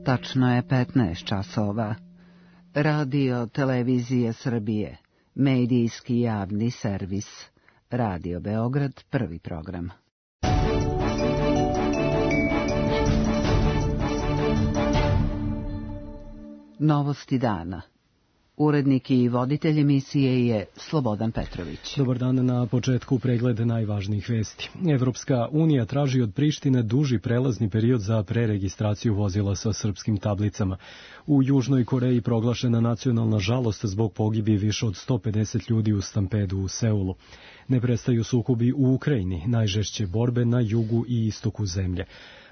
Tačno je 15 časova. Radio Televizije Srbije, medijski javni servis. Radio Beograd, prvi program. Novosti dana. Urednik i voditelj emisije je Slobodan Petrović. Dobar dan, na početku pregled najvažnijih vesti. Evropska unija traži od Prištine duži prelazni period za preregistraciju vozila sa srpskim tablicama. U Južnoj Koreji proglašena nacionalna žalost zbog pogibi više od 150 ljudi u stampedu u Seulu. Ne prestaju sukobi u Ukrajini, najžešće borbe na jugu i istoku zemlje.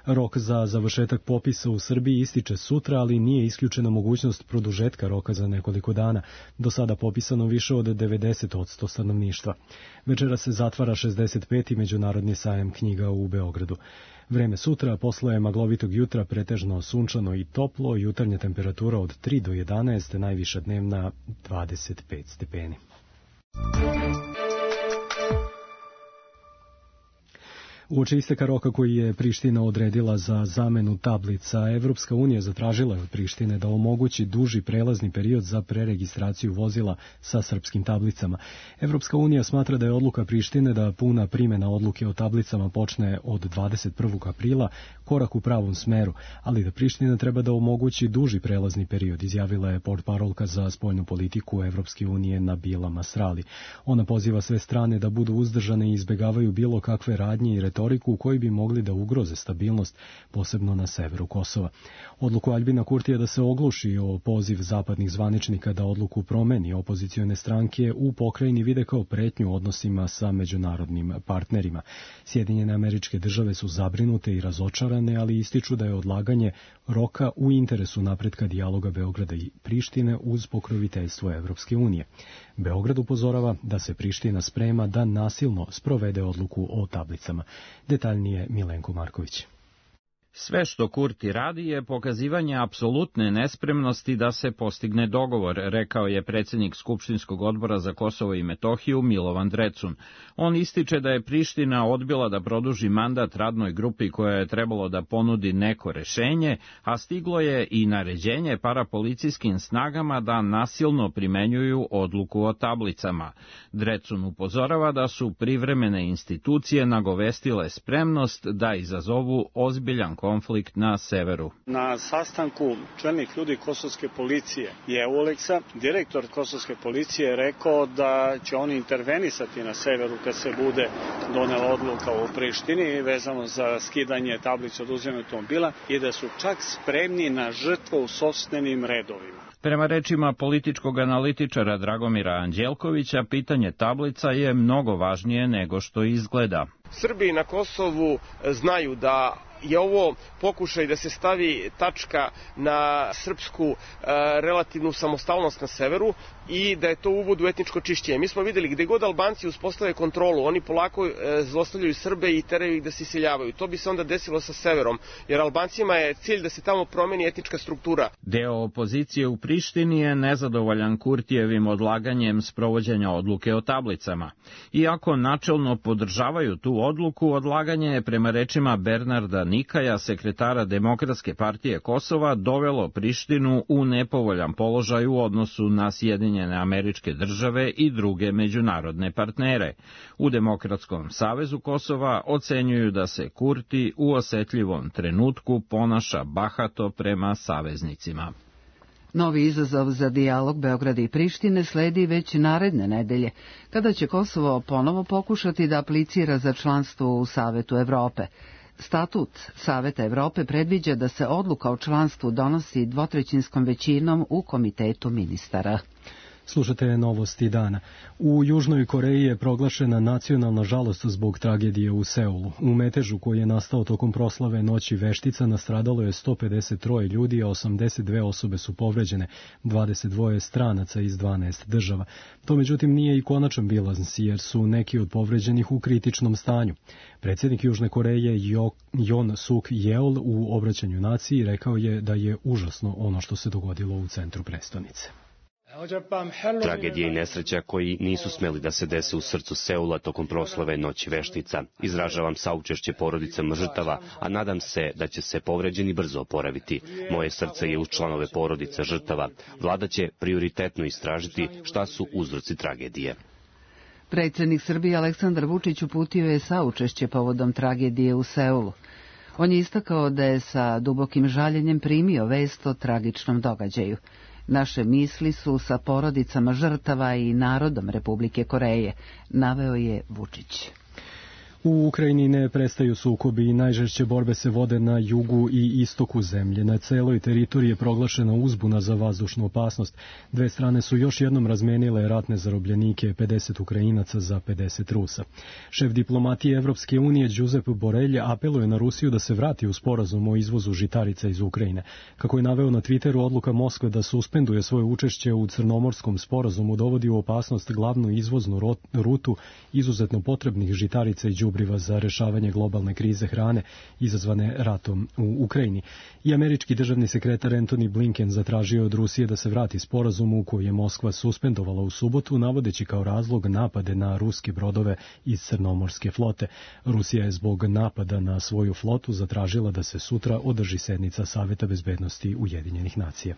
Rok za završetak popisa u Srbiji ističe sutra, ali nije isključena mogućnost produžetka roka za nekoliko dana. Do sada popisano više od 90% stanovništva. Večera se zatvara 65. međunarodni sajam knjiga u Beogradu. Vreme sutra, posle maglovitog jutra, pretežno sunčano i toplo, jutarnja temperatura od 3 do 11, najviša dnevna 25 stepeni. Uoči isteka roka koji je Priština odredila za zamenu tablica, Evropska unija zatražila je od Prištine da omogući duži prelazni period za preregistraciju vozila sa srpskim tablicama. Evropska unija smatra da je odluka Prištine da puna primjena odluke o tablicama počne od 21. aprila korak u pravom smeru, ali da Priština treba da omogući duži prelazni period, izjavila je portparolka za spoljnu politiku Evropske unije Nabila Masrali. Ona poziva sve strane da budu uzdržane i izbegavaju bilo kakve radnje i retoriku koji bi mogli da ugroze stabilnost, posebno na severu Kosova. Odluku Aljbina Kurtija da se ogluši o poziv zapadnih zvaničnika da odluku promeni opozicione stranke u pokrajini vide kao pretnju odnosima sa međunarodnim partnerima. Sjedinjene Američke Države su zabrinute i razočarane, ali ističu da je odlaganje roka u interesu napretka dijaloga Beograda i Prištine uz pokroviteljstvo Evropske unije. Beograd upozorava da se Priština sprema da nasilno sprovede odluku o tablicama. Detaljnije Milenko Marković. Sve što Kurti radi je pokazivanje apsolutne nespremnosti da se postigne dogovor, rekao je predsjednik Skupštinskog odbora za Kosovo i Metohiju Milovan Drecun. On ističe da je Priština odbila da produži mandat radnoj grupi koja je trebalo da ponudi neko rešenje, a stiglo je i naređenje parapolicijskim snagama da nasilno primenjuju odluku o tablicama. Drecun upozorava da su privremene institucije nagovestile spremnost da izazovu ozbiljan konflikt na severu. Na sastanku čelnih ljudi kosovske policije i EULEX-a, direktor kosovske policije je rekao da će oni intervenisati na severu kad se bude donela odluka u Prištini vezano za skidanje tablice oduzimanja automobila i da su čak spremni na žrtvu u sopstvenim redovima. Prema rečima političkog analitičara Dragomira Anđelkovića, pitanje tablica je mnogo važnije nego što izgleda. Srbi na Kosovu znaju da je ovo pokušaj da se stavi tačka na srpsku relativnu samostalnost na severu i da je to uvod u etničko čišćenje. Mi smo videli gde god Albanci uspostave kontrolu, oni polako zlostavljaju Srbe i teraju ih da se iseljavaju. To bi se onda desilo sa severom, jer Albancima je cilj da se tamo promeni etnička struktura. Deo opozicije u Prištini je nezadovoljan Kurtijevim odlaganjem sprovođenja odluke o tablicama. Iako načelno podržavaju tu odluku, odlaganje je prema rečima Bernarda Nikaja, sekretara Demokratske partije Kosova, dovelo Prištinu u nepovoljan položaj u odnosu na Sjedinjene Američke Države i druge međunarodne partnere. U Demokratskom savezu Kosova ocenjuju da se Kurti u osetljivom trenutku ponaša bahato prema saveznicima. Novi izazov za dijalog Beograda i Prištine sledi već naredne nedelje, kada će Kosovo ponovo pokušati da aplicira za članstvo u Savetu Evrope. Statut Saveta Evrope predviđa da se odluka o članstvu donosi dvotrećinskom većinom u Komitetu ministara. Slušate novosti dana. U Južnoj Koreji je proglašena nacionalna žalost zbog tragedije u Seulu. U metežu koji je nastao tokom proslave Noći veštica nastradalo je 153 ljudi, a 82 osobe su povređene, 22 stranaca iz 12 država. To međutim nije i konačan bilans, jer su neki od povređenih u kritičnom stanju. Predsjednik Južne Koreje Yoon Suk Yeol u obraćanju naciji rekao je da je užasno ono što se dogodilo u centru prestonice. Tragedije i nesreća koji nisu smeli da se dese u srcu Seula tokom proslave Noći veštica. Izražavam saučešće porodicama žrtava, a nadam se da će se povređeni brzo oporaviti. Moje srce je uz članove porodica žrtava. Vlada će prioritetno istražiti šta su uzroci tragedije. Predsjednik Srbije Aleksandar Vučić uputio je saučešće povodom tragedije u Seulu. On je istakao da je sa dubokim žaljenjem primio vest o tragičnom događaju. Naše misli su sa porodicama žrtava i narodom Republike Koreje, naveo je Vučić. U Ukrajini ne prestaju sukobi i najžešće borbe se vode na jugu i istoku zemlje. Na celoj teritoriji je proglašena uzbuna za vazdušnu opasnost. Dve strane su još jednom razmenile ratne zarobljenike, 50 Ukrajinaca za 50 Rusa. Šef diplomatije Evropske unije Josep Borrell apeluje na Rusiju da se vrati u sporazum o izvozu žitarica iz Ukrajine. Kako je naveo na Twitteru, odluka Moskve da suspenduje svoje učešće u crnomorskom sporazumu dovodi u opasnost glavnu izvoznu rutu izuzetno potrebnih žitarica i đubriva za rešavanje globalne krize hrane izazvane ratom u Ukrajini. I američki državni sekretar Antony Blinken zatražio od Rusije da se vrati sporazumu koji je Moskva suspendovala u subotu, navodeći kao razlog napade na ruske brodove iz crnomorske flote. Rusija je zbog napada na svoju flotu zatražila da se sutra održi sednica Saveta bezbednosti Ujedinjenih nacija.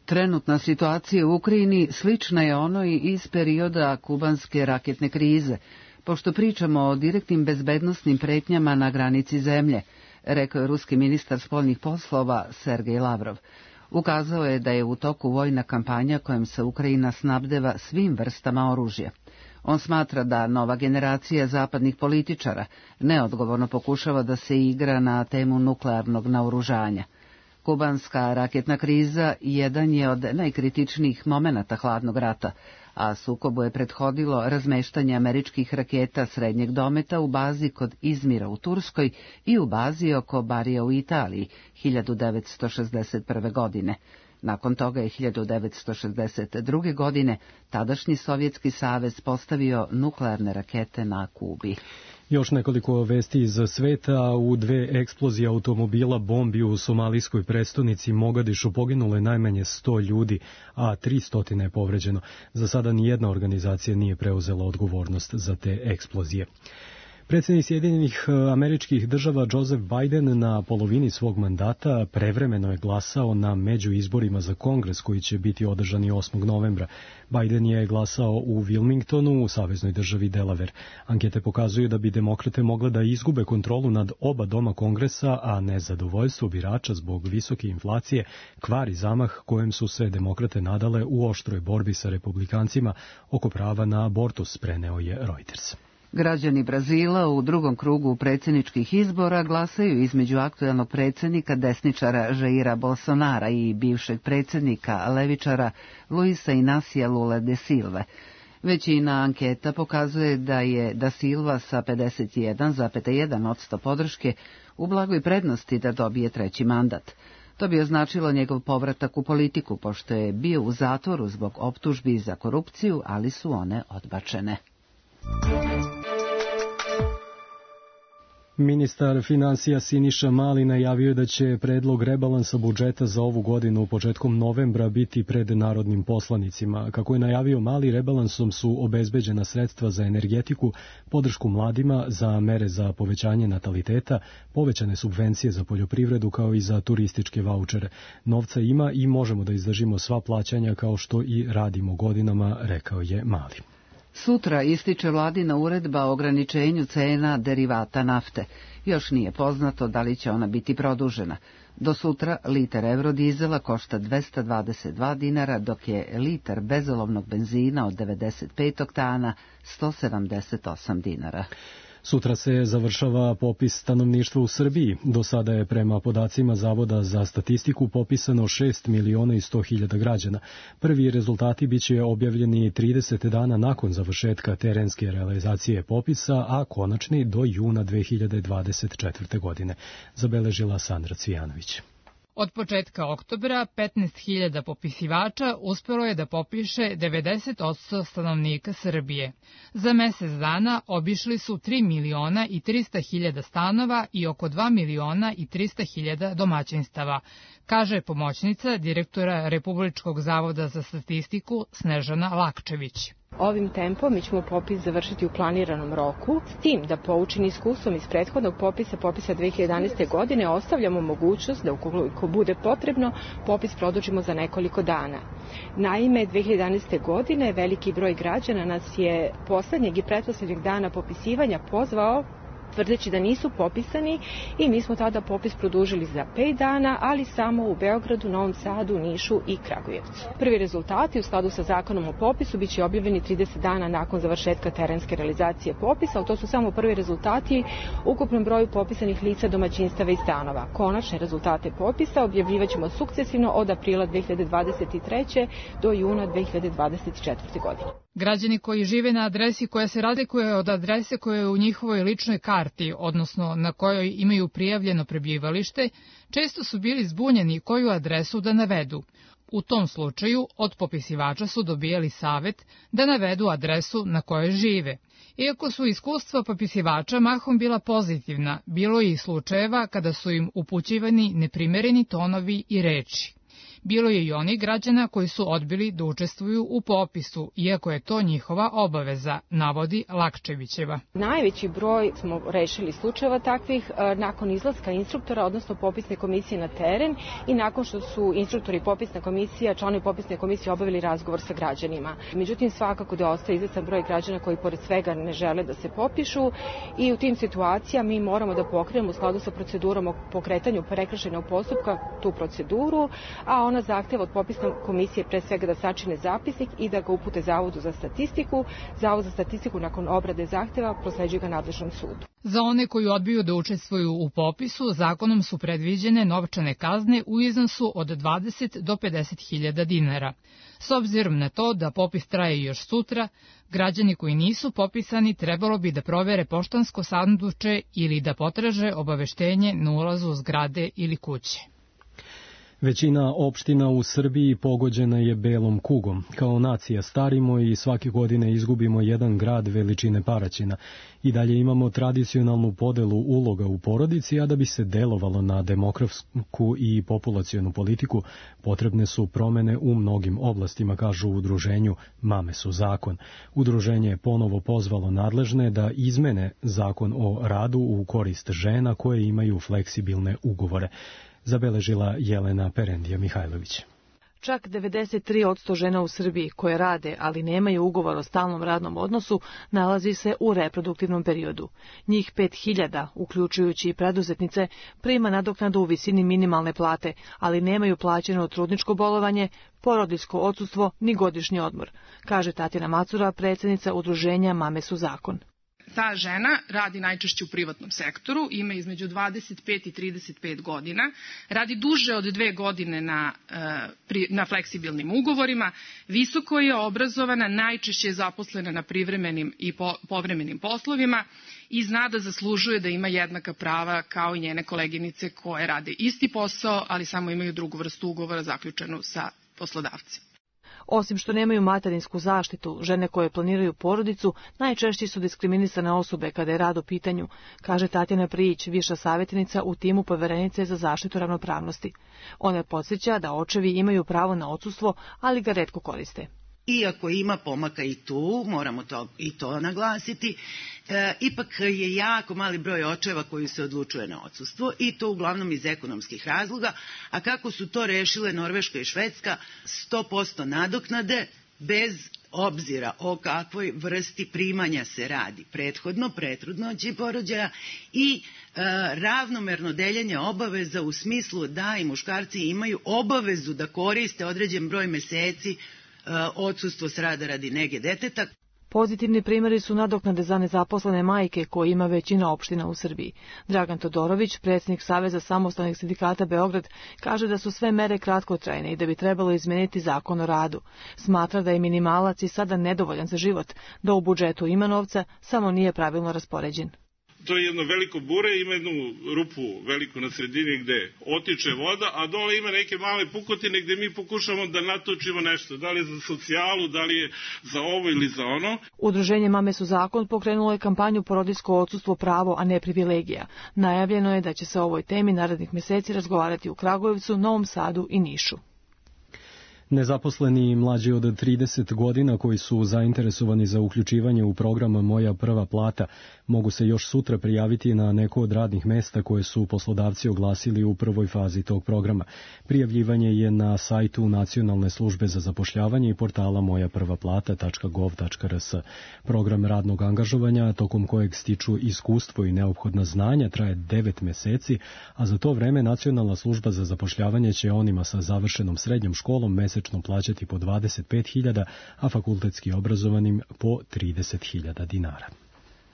Trenutna situacija u Ukrajini slična je onoj iz perioda kubanske raketne krize. Pošto pričamo o direktnim bezbednosnim pretnjama na granici zemlje, rekao je ruski ministar spoljnih poslova Sergej Lavrov. Ukazao je da je u toku vojna kampanja kojom se Ukrajina snabdeva svim vrstama oružja. On smatra da nova generacija zapadnih političara neodgovorno pokušava da se igra na temu nuklearnog naoružanja. Kubanska raketna kriza jedan je od najkritičnijih momenata hladnog rata, a sukobu je prethodilo razmeštanje američkih raketa srednjeg dometa u bazi kod Izmira u Turskoj i u bazi oko Barija u Italiji 1961. godine. Nakon toga je 1962. godine tadašnji Sovjetski savez postavio nuklearne rakete na Kubi. Još nekoliko vesti iz sveta. U dve eksplozije automobila bombi u somalijskoj prestonici Mogadišu poginule najmanje 100 ljudi, a 300 je povređeno. Za sada nijedna organizacija nije preuzela odgovornost za te eksplozije. Predsjednik Sjedinjenih Američkih Država Joseph Biden na polovini svog mandata prevremeno je glasao na međuizborima za Kongres koji će biti održani 8. novembra. Biden je glasao u Wilmingtonu u saveznoj državi Delaware. Ankete pokazuju da bi demokrate mogle da izgube kontrolu nad oba doma Kongresa, a nezadovoljstvo birača zbog visoke inflacije kvari zamah kojem su se demokrate nadale u oštroj borbi sa republikancima oko prava na abortus, preneo je Reuters. Građani Brazila u drugom krugu predsjedničkih izbora glasaju između aktuelnog predsjednika desničara Jaira Bolsonara i bivšeg predsjednika levičara Luisa Inacia Lula de Silve. Većina anketa pokazuje da je da Silva sa 51,1% podrške u blagoj prednosti da dobije treći mandat. To bi označilo njegov povratak u politiku, pošto je bio u zatvoru zbog optužbi za korupciju, ali su one odbačene. Ministar financija Siniša Mali najavio je da će predlog rebalansa budžeta za ovu godinu početkom novembra biti pred narodnim poslanicima. Kako je najavio Mali, rebalansom su obezbeđena sredstva za energetiku, podršku mladima, za mere za povećanje nataliteta, povećane subvencije za poljoprivredu kao i za turističke vaučere. Novca ima i možemo da izdržimo sva plaćanja kao što i radimo godinama, rekao je Mali. Sutra ističe vladina uredba o ograničenju cena derivata nafte. Još nije poznato da li će ona biti produžena. Do sutra litar eurodizela košta 222 dinara, dok je litar bezolovnog benzina od 95 oktana 178 dinara. Sutra se završava popis stanovništva u Srbiji. Do sada je prema podacima Zavoda za statistiku popisano 6.100.000 građana. Prvi rezultati biće objavljeni 30 dana nakon završetka terenske realizacije popisa, a konačni do juna 2024. godine, zabeležila Sandra Cvijanović. Od početka oktobra 15.000 popisivača uspelo je da popiše 90% stanovnika Srbije. Za mesec dana obišli su 3.300.000 stanova i oko 2.300.000 domaćinstava, kaže pomoćnica direktora Republičkog zavoda za statistiku Snežana Lakčević. Ovim tempom mi ćemo popis završiti u planiranom roku, s tim da poučeni iskustvom iz prethodnog popisa 2011. godine ostavljamo mogućnost da ukoliko bude potrebno popis produžimo za nekoliko dana. Naime, 2011. godine veliki broj građana nas je poslednjeg i pretposlednjeg dana popisivanja pozvao tvrdeći da nisu popisani i mi smo tada popis produžili za 5 dana, ali samo u Beogradu, Novom Sadu, Nišu i Kragujevcu. Prvi rezultati u skladu sa zakonom o popisu biće objavljeni 30 dana nakon završetka terenske realizacije popisa, ali to su samo prvi rezultati ukupnom broju popisanih lica, domaćinstava i stanova. Konačne rezultate popisa objavljivaćemo sukcesivno od aprila 2023. do juna 2024. godine. Građani koji žive na adresi koja se razlikuje od adrese koja je u njihovoj ličnoj karti, odnosno na kojoj imaju prijavljeno prebivalište, često su bili zbunjeni koju adresu da navedu. U tom slučaju od popisivača su dobijali savet da navedu adresu na kojoj žive. Iako su iskustva popisivača mahom bila pozitivna, bilo je i slučajeva kada su im upućivani neprimereni tonovi i reči. Bilo je i onih građana koji su odbili da učestvuju u popisu, iako je to njihova obaveza, navodi Lakčevićeva. Najveći broj smo rešili slučajeva takvih nakon izlaska instruktora, odnosno popisne komisije na teren i nakon što su instruktori i popisna komisija, članovi popisne komisije obavili razgovor sa građanima. Međutim, svakako da ostaje izvestan broj građana koji pored svega ne žele da se popišu i u tim situacijama mi moramo da pokrenemo u skladu sa procedurom o pokretanju prekršajnog postupka tu proceduru, a ona zahteva od popisne komisije pre svega da sačine zapisnik i da ga upute Zavodu za statistiku. Zavod za statistiku nakon obrade zahteva prosleđuje ga nadležnom sudu. Za one koji odbiju da učestvuju u popisu, zakonom su predviđene novčane kazne u iznosu od 20 do 50.000 dinara. S obzirom na to da popis traje još sutra, građani koji nisu popisani trebalo bi da provere poštansko sanduče ili da potraže obaveštenje na ulazu zgrade ili kuće. Većina opština u Srbiji pogođena je belom kugom. Kao nacija starimo i svake godine izgubimo jedan grad veličine Paraćina. I dalje imamo tradicionalnu podelu uloga u porodici, a da bi se delovalo na demografsku i populacionu politiku, potrebne su promene u mnogim oblastima, kažu u udruženju Mame su zakon. Udruženje je ponovo pozvalo nadležne da izmene zakon o radu u korist žena koje imaju fleksibilne ugovore. Zabeležila Jelena Perendija Mihajlović. Čak 93% žena u Srbiji koje rade, ali nemaju ugovor o stalnom radnom odnosu, nalazi se u reproduktivnom periodu. Njih 5.000, uključujući i preduzetnice, prima nadoknadu u visini minimalne plate, ali nemaju plaćeno trudničko bolovanje, porodiljsko odsustvo ni godišnji odmor, kaže Tatjana Macura, predsjednica udruženja Mame su zakon. Ta žena radi najčešće u privatnom sektoru, ima između 25 i 35 godina, radi duže od 2 godine na fleksibilnim ugovorima, visoko je obrazovana, najčešće je zaposlena na privremenim i povremenim poslovima i zna da zaslužuje da ima jednaka prava kao i njene koleginice koje rade isti posao, ali samo imaju drugu vrstu ugovora zaključenu sa poslodavcem. Osim što nemaju materinsku zaštitu, žene koje planiraju porodicu najčešće su diskriminisane osobe kada je rad u pitanju, kaže Tatjana Prijić, viša savjetnica u timu Poverenice za zaštitu ravnopravnosti. Ona podsjeća da očevi imaju pravo na odsustvo, ali ga retko koriste. Iako ima pomaka i tu, moramo to naglasiti, ipak je jako mali broj očeva koji se odlučuje na odsustvo i to uglavnom iz ekonomskih razloga, a kako su to rešile Norveška i Švedska, 100% nadoknade bez obzira o kakvoj vrsti primanja se radi, prethodno, pretrudnoće i porođaja i ravnomerno deljenje obaveza u smislu da i muškarci imaju obavezu da koriste određen broj meseci odsustvo s rada radi nege deteta. Pozitivni primjeri su nadoknade za nezaposlene majke koje ima većina opština u Srbiji. Dragan Todorović, predsjednik Saveza samostalnih sindikata Beograd, kaže da su sve mere kratkotrajne i da bi trebalo izmeniti zakon o radu. Smatra da je minimalac i sada nedovoljan za život, da u budžetu ima novca, samo nije pravilno raspoređen. to je jedno veliko bure, ima jednu rupu veliku na sredini gde otiče voda, a dole ima neke male pukotine gde mi pokušamo da natočimo nešto, da li je za socijalu, da li je za ovo ili za ono. Udruženje Mame su zakon pokrenulo je kampanju Porodiljsko odsustvo pravo, a ne privilegija. Najavljeno je da će se o ovoj temi narednih meseci razgovarati u Kragujevcu, Novom Sadu i Nišu. Nezaposleni mlađi od 30 godina koji su zainteresovani za uključivanje u program Moja prva plata mogu se još sutra prijaviti na neko od radnih mesta koje su poslodavci oglasili u prvoj fazi tog programa. Prijavljivanje je na sajtu Nacionalne službe za zapošljavanje i portala mojaprvaplata.gov.rs. Program radnog angažovanja, tokom kojeg stiču iskustvo i neophodna znanja, traje 9 meseci, a za to vreme Nacionalna služba za zapošljavanje će onima sa završenom srednjom školom mesečno plaćati po 25.000, a fakultetski obrazovanim po 30.000 dinara.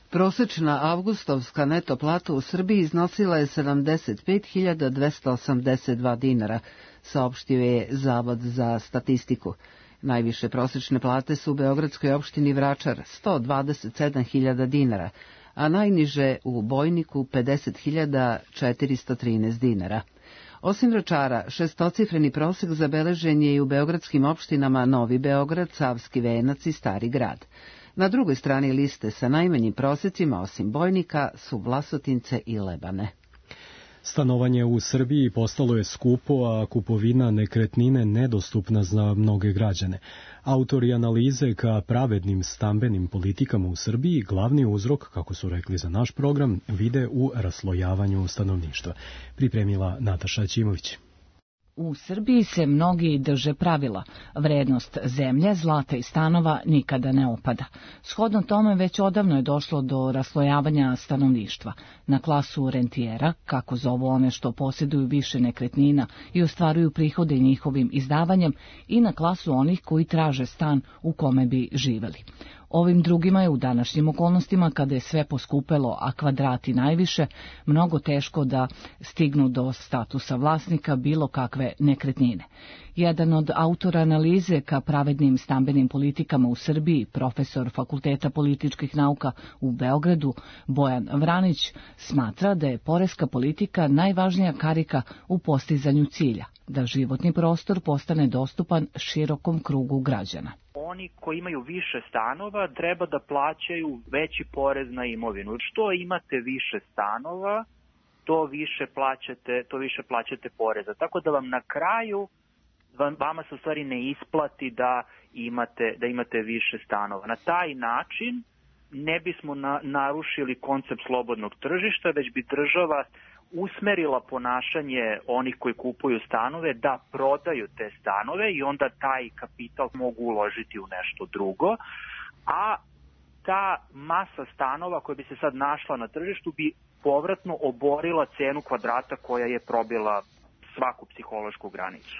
Prosečna avgustovska neto plata u Srbiji iznosila je 75.282 dinara, saopštio je Zavod za statistiku. Najviše prosečne plate su u beogradskoj opštini Vračar 127.000 dinara, a najniže u Bojniku 50.413 dinara. Osim Vračara, šestocifreni prosek zabeležen je i u beogradskim opštinama Novi Beograd, Savski Venac i Stari Grad. Na drugoj strani liste sa najmanjim prosecima, osim Bojnika, su Vlasotince i Lebane. Stanovanje u Srbiji postalo je skupo, a kupovina nekretnine nedostupna za mnoge građane. Autori analize ka pravednim stambenim politikama u Srbiji glavni uzrok, kako su rekli za naš program, vide u raslojavanju stanovništva. Pripremila Nataša Ćimović. U Srbiji se mnogi drže pravila. Vrednost zemlje, zlata i stanova nikada ne opada. Shodno tome već odavno je došlo do raslojavanja stanovništva. Na klasu rentijera, kako zovu one što posjeduju više nekretnina i ostvaruju prihode njihovim izdavanjem, i na klasu onih koji traže stan u kome bi živeli. Ovim drugima je u današnjim okolnostima, kada je sve poskupelo, a kvadrati najviše, mnogo teško da stignu do statusa vlasnika bilo kakve nekretnine. Jedan od autora analize ka pravednim stambenim politikama u Srbiji, profesor Fakulteta političkih nauka u Beogradu, Bojan Vranić, smatra da je poreska politika najvažnija karika u postizanju cilja, da životni prostor postane dostupan širokom krugu građana. Oni koji imaju više stanova treba da plaćaju veći porez na imovinu. Što imate više stanova, to više plaćate poreza. Tako da vam na kraju, vama se u stvari ne isplati da imate više stanova. Na taj način ne bismo narušili koncept slobodnog tržišta, već bi država usmerila ponašanje onih koji kupuju stanove da prodaju te stanove i onda taj kapital mogu uložiti u nešto drugo, a ta masa stanova koja bi se sad našla na tržištu bi povratno oborila cenu kvadrata koja je probila svaku psihološku granicu.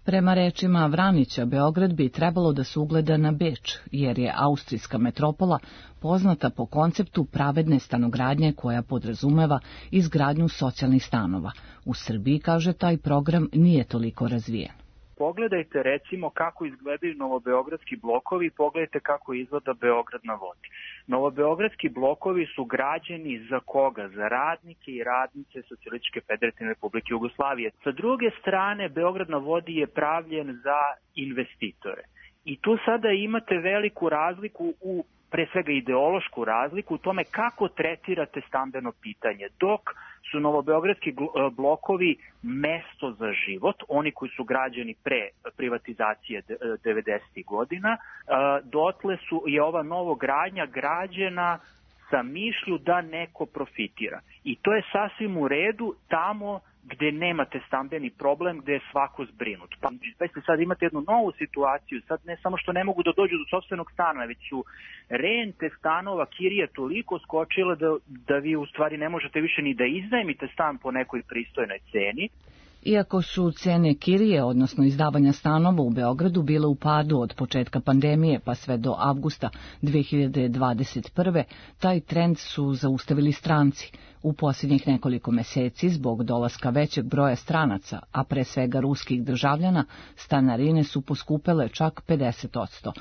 Prema rečima Vranića, Beograd bi trebalo da se ugleda na Beč, jer je austrijska metropola poznata po konceptu pravedne stanogradnje koja podrazumeva izgradnju socijalnih stanova. U Srbiji, kaže, taj program nije toliko razvijen. Pogledajte recimo kako izgledaju novobeogradski blokovi i pogledajte kako izgleda Beograd na vodi. Novobeogradski blokovi su građeni za koga? Za radnike i radnice Socijalističke federativne republike Jugoslavije. Sa druge strane, Beograd na vodi je pravljen za investitore. I tu sada imate veliku razliku pre svega ideološku razliku u tome kako tretirate stambeno pitanje. Dok su novobeogradski blokovi mesto za život, oni koji su građeni pre privatizacije 90. godina, dotle je ova novogradnja građena sa mišlju da neko profitira. I to je sasvim u redu tamo gde nemate stambeni problem, gde je svako zbrinut. Pa sad imate jednu novu situaciju, sad ne samo što ne mogu da dođu do sopstvenog stana, već su rente stanova, kirije toliko skočile da vi u stvari ne možete više ni da iznajmite stan po nekoj pristojnoj ceni. Iako su cene kirije, odnosno izdavanja stanova u Beogradu, bile u padu od početka pandemije pa sve do avgusta 2021. taj trend su zaustavili stranci. U posljednjih nekoliko meseci, zbog dolaska većeg broja stranaca, a pre svega ruskih državljana, stanarine su poskupele čak 50%.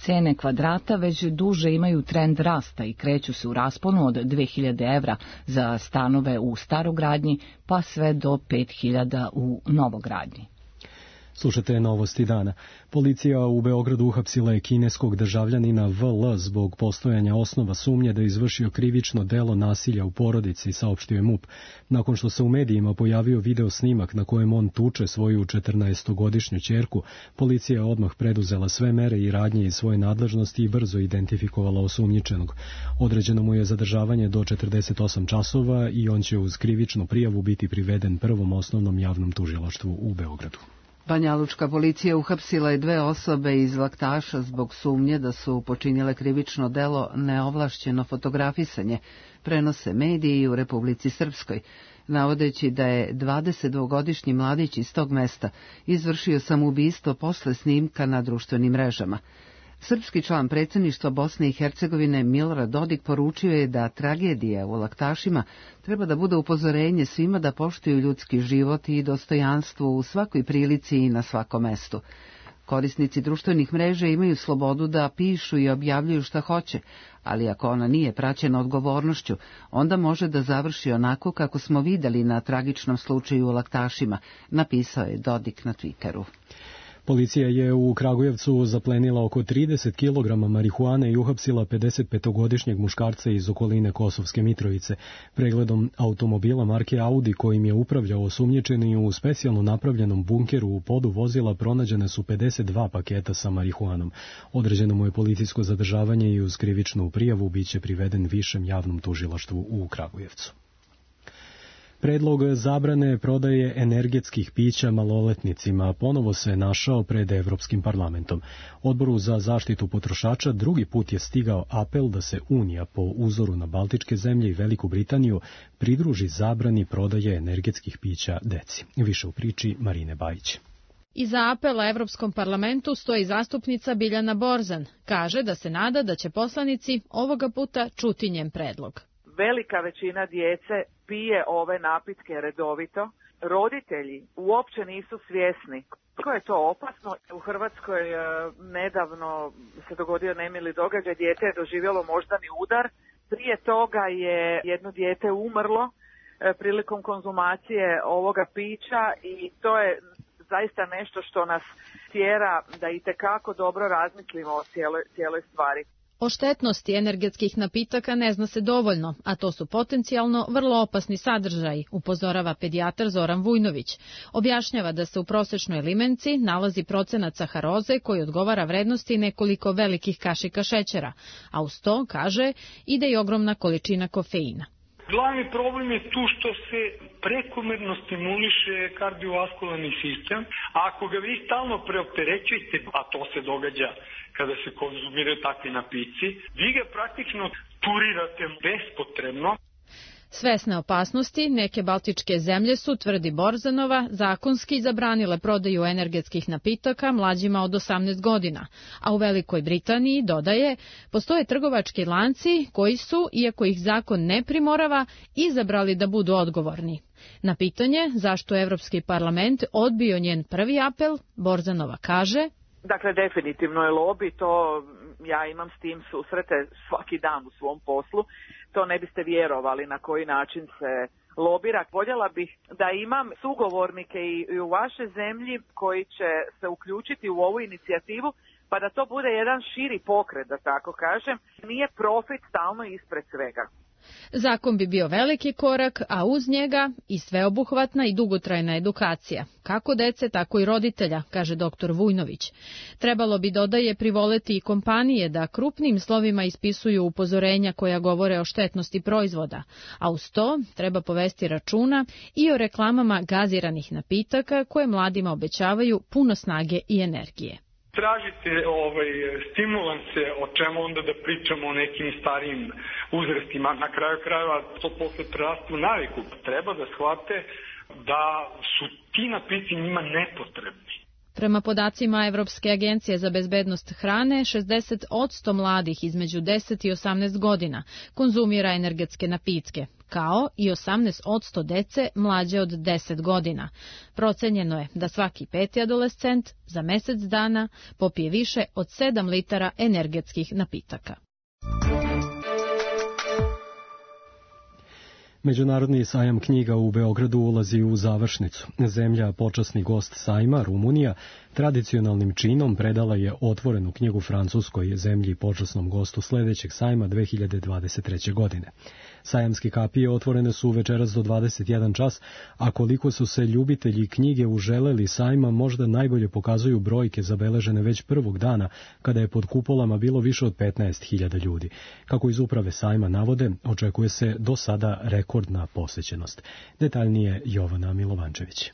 Cene kvadrata već duže imaju trend rasta i kreću se u rasponu od 2000 evra za stanove u starogradnji pa sve do 5000 u novogradnji. Slušate novosti dana. Policija u Beogradu uhapsila je kineskog državljanina VL zbog postojanja osnova sumnje da je izvršio krivično delo nasilja u porodici, saopštio je MUP. Nakon što se u medijima pojavio video snimak na kojem on tuče svoju 14-godišnju ćerku, policija je odmah preduzela sve mere i radnje iz svoje nadležnosti i brzo identifikovala osumnjičenog. Određeno mu je zadržavanje do 48 časova i on će uz krivičnu prijavu biti priveden Prvom osnovnom javnom tužilaštvu u Beogradu. Banjalučka policija uhapsila je 2 osobe iz Laktaša zbog sumnje da su počinile krivično delo neovlašćeno fotografisanje, prenose mediji u Republici Srpskoj, navodeći da je 22-godišnji mladić iz tog mesta izvršio samoubistvo posle snimka na društvenim mrežama. Srpski član predsjedništva Bosne i Hercegovine Milorad Dodik poručio je da tragedija u Laktašima treba da bude upozorenje svima da poštuju ljudski život i dostojanstvo u svakoj prilici i na svakom mestu. Korisnici društvenih mreža imaju slobodu da pišu i objavljuju šta hoće, ali ako ona nije praćena odgovornošću, onda može da završi onako kako smo videli na tragičnom slučaju u Laktašima, napisao je Dodik na Twitteru. Policija je u Kragujevcu zaplenila oko 30 kg marihuane i uhapsila 55-godišnjeg muškarca iz okoline Kosovske Mitrovice. Pregledom automobila marke Audi kojim je upravljao osumnjičeni u specijalno napravljenom bunkeru u podu vozila pronađene su 52 paketa sa marihuanom. Određeno mu je policijsko zadržavanje i uz krivičnu prijavu biće priveden Višem javnom tužilaštvu u Kragujevcu. Predlog zabrane prodaje energetskih pića maloletnicima ponovo se našao pred Evropskim parlamentom. Odboru za zaštitu potrošača drugi put je stigao apel da se Unija po uzoru na Baltičke zemlje i Veliku Britaniju pridruži zabrani prodaje energetskih pića deci. Više u priči Marine Bajić. Iza apela Evropskom parlamentu stoji zastupnica Biljana Borzan. Kaže da se nada da će poslanici ovoga puta čuti njen predlog. Velika većina djece pije ove napitke redovito. Roditelji uopće nisu svjesni kako je to opasno. U Hrvatskoj nedavno se dogodio nemili događaj, dijete je doživjelo moždani udar. Prije toga je jedno dijete umrlo prilikom konzumacije ovoga pića i to je zaista nešto što nas tjera da itekako dobro razmislimo o cijeloj stvari. O štetnosti energetskih napitaka ne zna se dovoljno, a to su potencijalno vrlo opasni sadržaji, upozorava pedijatar Zoran Vujnović. Objašnjava da se u prosečnoj limenci nalazi procenat saharoze koji odgovara vrednosti nekoliko velikih kašika šećera, a uz to, kaže, ide i ogromna količina kofeina. Glavni problem je tu što se prekomerno stimuliše kardiovaskularni sistem, a ako ga vi stalno preopterećujete, a to se događa kada se konzumiraju takvi napici, vi ga praktično turirate bespotrebno. Svesne opasnosti, neke baltičke zemlje su, tvrdi Borzanova, zakonski zabranile prodaju energetskih napitaka mlađima od 18 godina, a u Velikoj Britaniji, dodaje, postoje trgovački lanci koji su, iako ih zakon ne primorava, izabrali da budu odgovorni. Na pitanje zašto Evropski parlament odbio njen prvi apel, Borzanova kaže: Dakle, definitivno je lobi, to ja imam s tim susrete svaki dan u svom poslu, to ne biste vjerovali na koji način se lobira. Voljela bih da imam sugovornike i u vašoj zemlji koji će se uključiti u ovu inicijativu, pa da to bude jedan širi pokret, da tako kažem. Nije profit stalno ispred svega. Zakon bi bio veliki korak, a uz njega i sveobuhvatna i dugotrajna edukacija, kako dece, tako i roditelja, kaže dr. Vujnović. Trebalo bi, dodaje, privoleti i kompanije da krupnim slovima ispisuju upozorenja koja govore o štetnosti proizvoda, a uz to treba povesti računa i o reklamama gaziranih napitaka koje mladima obećavaju puno snage i energije. Tražite stimulanse, o čemu onda da pričamo o nekim starijim uzrastima. Na kraju krajeva to posle prerastu u naviku. Treba da shvate da su ti napici njima nepotrebni. Prema podacima Evropske agencije za bezbednost hrane, 60% mladih između 10 i 18 godina konzumira energetske napitke, kao i 18% dece mlađe od 10 godina. Procenjeno je da svaki 5. adolescent za mesec dana popije više od 7 litara energetskih napitaka. Međunarodni sajam knjiga u Beogradu ulazi u završnicu. Zemlja počasni gost sajma, Rumunija, tradicionalnim činom predala je otvorenu knjigu Francuskoj, zemlji počasnom gostu sledećeg sajma 2023. godine. Sajamske kapije otvorene su večeras do 21 čas, a koliko su se ljubitelji knjige uželeli sajma možda najbolje pokazuju brojke zabeležene već prvog dana, kada je pod kupolama bilo više od 15.000 ljudi. Kako iz uprave sajma navode, očekuje se do sada rekordna posećenost. Detaljnije Jovana Milovančević.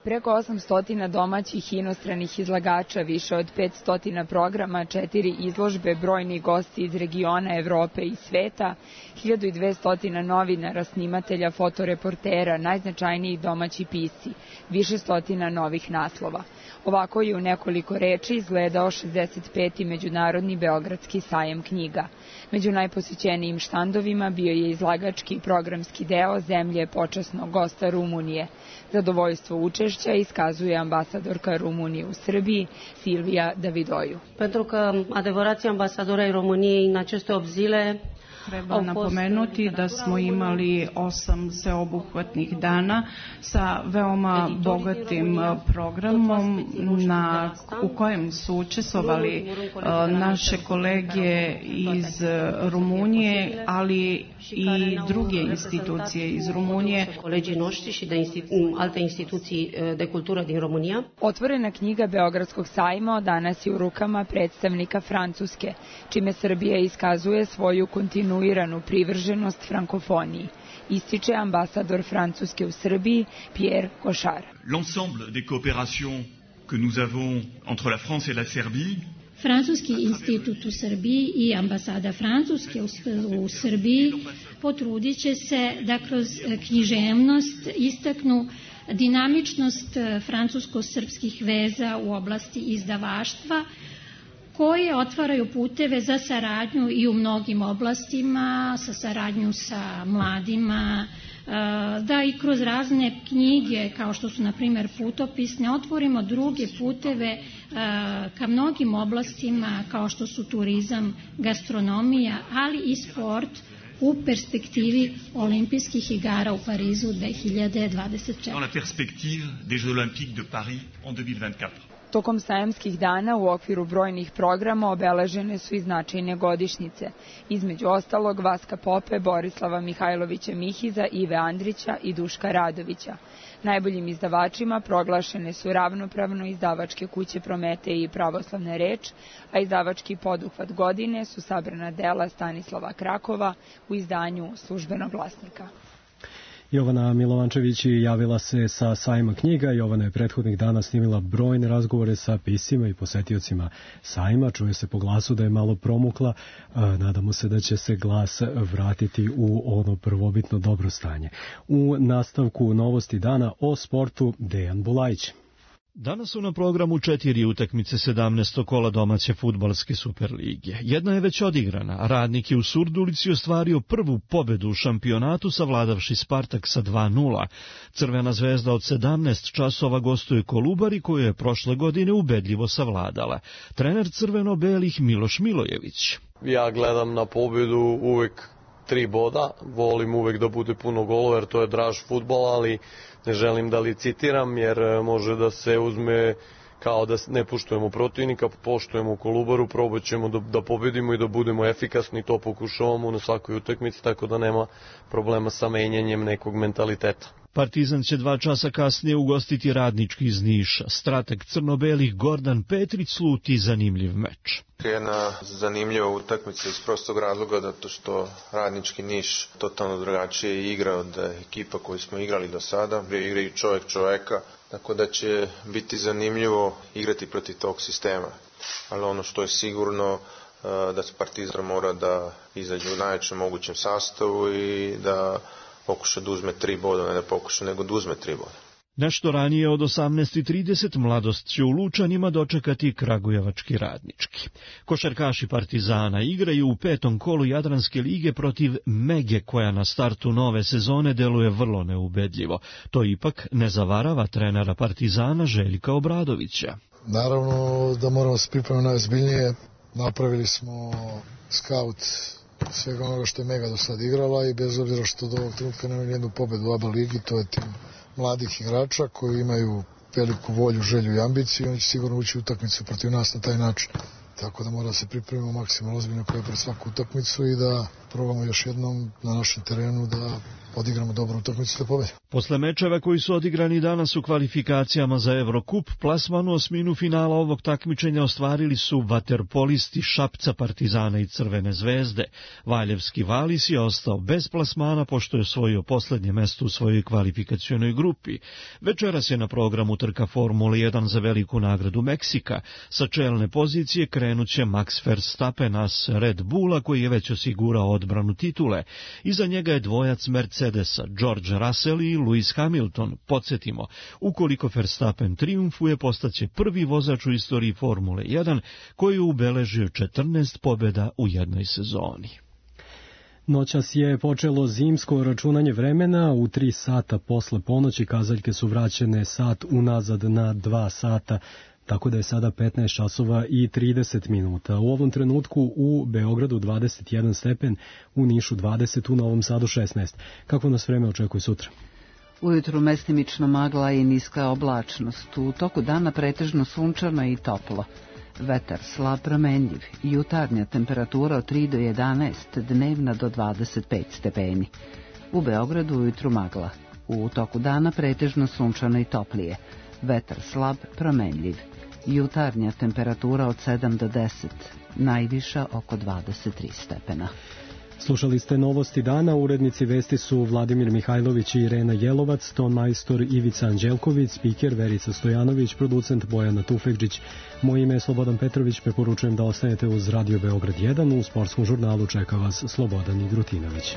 Preko 800 domaćih i inostranih izlagača, više od 500 programa, 4 izložbe, brojni gosti iz regiona, Evrope i sveta, 1200 novinara, snimatelja, fotoreportera, najznačajniji domaći pisci, više stotina novih naslova. Ovako je u nekoliko reči izgledao 65. Međunarodni Beogradski sajam knjiga. Među najposećenijim štandovima bio je izlagački programski deo zemlje počasnog gosta Rumunije. Zadovoljstvo učešća iskazuje ambasadorka Rumunije u Srbiji, Silvija Davidoiu. Pentru că adevărații ambasadori ai României în aceste 8 zile Treba napomenuti da smo imali 8 sveobuhvatnih dana sa veoma bogatim programom u kojem su učestvovali naše kolege iz Rumunije, ali i druge institucije iz Rumunije. Colegii noștri și de alte instituții de cultură din România. Otvorena knjiga Beogradskog sajma danas je u rukama predstavnika Francuske, čime Srbija iskazuje svoju kontinuiranu privrženost frankofoniji, ističe ambasador Francuske u Srbiji Pierre Cochard. L'ensemble des coopérations que nous avons entre la France et la Serbie. Francuski institut u Srbiji i ambasada Francuske u Srbiji potrudit će se da kroz književnost istaknu dinamičnost francusko-srpskih veza u oblasti izdavaštva, koje otvaraju puteve za saradnju i u mnogim oblastima, sa saradnju sa mladima, da i kroz razne knjige, kao što su, na primjer, putopisne, otvorimo druge puteve ka mnogim oblastima, kao što su turizam, gastronomija, ali i sport u perspektivi olimpijskih igara u Parizu 2024. Dans la perspective des Jeux olympiques de Paris en 2024. Tokom sajamskih dana u okviru brojnih programa obeležene su i značajne godišnjice, između ostalog Vaska Pope, Borislava Mihajlovića Mihiza, Ive Andrića i Duška Radovića. Najboljim izdavačima proglašene su ravnopravno izdavačke kuće Prometej i Pravoslavna reč, a izdavački poduhvat godine su sabrana dela Stanislava Krakova u izdanju Službenog glasnika. Jovana Milovančević javila se sa sajma knjiga. Jovana je prethodnih dana snimila brojne razgovore sa piscima i posetiocima sajma. Čuje se po glasu da je malo promukla. Nadamo se da će se glas vratiti u ono prvobitno dobro stanje. U nastavku novosti dana o sportu Dejan Bulajić. Danas su na programu 4 utakmice 17. kola domaće fudbalske Superlige. Jedna je već odigrana. Radnik je u Surdulici ostvario prvu pobedu u šampionatu savladavši Spartak sa 2:0. Crvena zvezda od 17 časova gostuje Kolubari koju je prošle godine ubedljivo savladala. Trener crveno-belih Miloš Milojević. Ja gledam na pobedu uvek 3 boda, volim uvek da bude puno golova jer to je draž fudbal, ali ne želim da licitiram jer može da se uzme kao da ne poštujemo protivnika, poštujemo Kolubaru, probat ćemo da pobedimo i da budemo efikasni, to pokušavamo na svakoj utakmici, tako da nema problema sa menjanjem nekog mentaliteta. Partizan će 2 časa kasnije ugostiti Radnički iz Niša. Strateg crno-belih Gordan Petrić sluti zanimljiv meč. Jedna zanimljiva utakmica iz prostog razloga zato što Radnički Niš totalno drugačije igra od ekipa koju smo igrali do sada, igra i čovjek čoveka, tako da će biti zanimljivo igrati protiv tog sistema. Ali ono što je sigurno da Partizan mora da izađe u najvećem mogućem sastavu i da pokuša da uzme 3 boda, ne da pokuša nego da uzme 3 boda. Nešto ranije od 18:30 Mladost će u Lučanima dočekati kragujevački Radnički. Košarkaši Partizana igraju u 5. kolu Jadranske lige protiv Mege, koja na startu nove sezone deluje vrlo neubedljivo. To ipak ne zavarava trenera Partizana Željka Obradovića. Naravno da moramo se pripremiti najozbiljnije. Napravili smo skaut svega onoga što je Mega do sad igrala i bez obzira što do ovog trenutka nemaju jednu pobedu u ABA ligi, to je tim mladih igrača koji imaju veliku volju, želju i ambiciju i oni će sigurno ući u utakmicu protiv nas na taj način. Tako da mora da se pripremimo maksimalno ozbiljno kao pred svaku utakmicu i da probamo još jednom na našem terenu da odigramo dobru utakmicu da pobedimo. Posle mečeva koji su odigrani danas u kvalifikacijama za Evrokup, plasman u osminu finala ovog takmičenja ostvarili su vaterpolisti Šapca, Partizana i Crvene zvezde. Valjevski Valis je ostao bez plasmana pošto je osvojio poslednje mesto u svojoj kvalifikacionoj grupi. Večeras je na programu trka Formule 1 za veliku nagradu Meksika. Sa čelne pozicije krenuće Max Verstappen as Red Bulla, koji je već osigurao odbranu titule. Iza njega je dvojac Mercedesa, George Russell i Lewis Hamilton. Podsjetimo, ukoliko Verstappen triumfuje, postaće prvi vozač u istoriji Formule 1 koji je ubeležio 14 pobjeda u jednoj sezoni. Noćas je počelo zimsko računanje vremena. U 3 sata posle ponoći kazaljke su vraćene sat unazad na 2 sata. Tako da je sada 15 časova i 30 minuta. U ovom trenutku u Beogradu 21 stepen, u Nišu 20, u Novom Sadu 16. Kako nas vreme očekuje sutra? Ujutru mestimično magla i niska oblačnost. U toku dana pretežno sunčano i toplo. Vetar slab promenljiv. Jutarnja temperatura od 3 do 11, dnevna do 25 stepeni. U Beogradu ujutru magla. U toku dana pretežno sunčano i toplije. Vetar slab promenljiv. Jutarnja temperatura od 7 do 10, najviša oko 23 stepena. Slušali ste novosti dana, urednici vesti su Vladimir Mihajlović i Irena Jelovac, ton majstor Ivica Anđelković, spiker Verica Stojanović, producent Bojana Tufekđić. Moje ime je Slobodan Petrović, preporučujem da ostanete uz Radio Beograd 1, u sportskom žurnalu čeka vas Slobodan Igrutinović.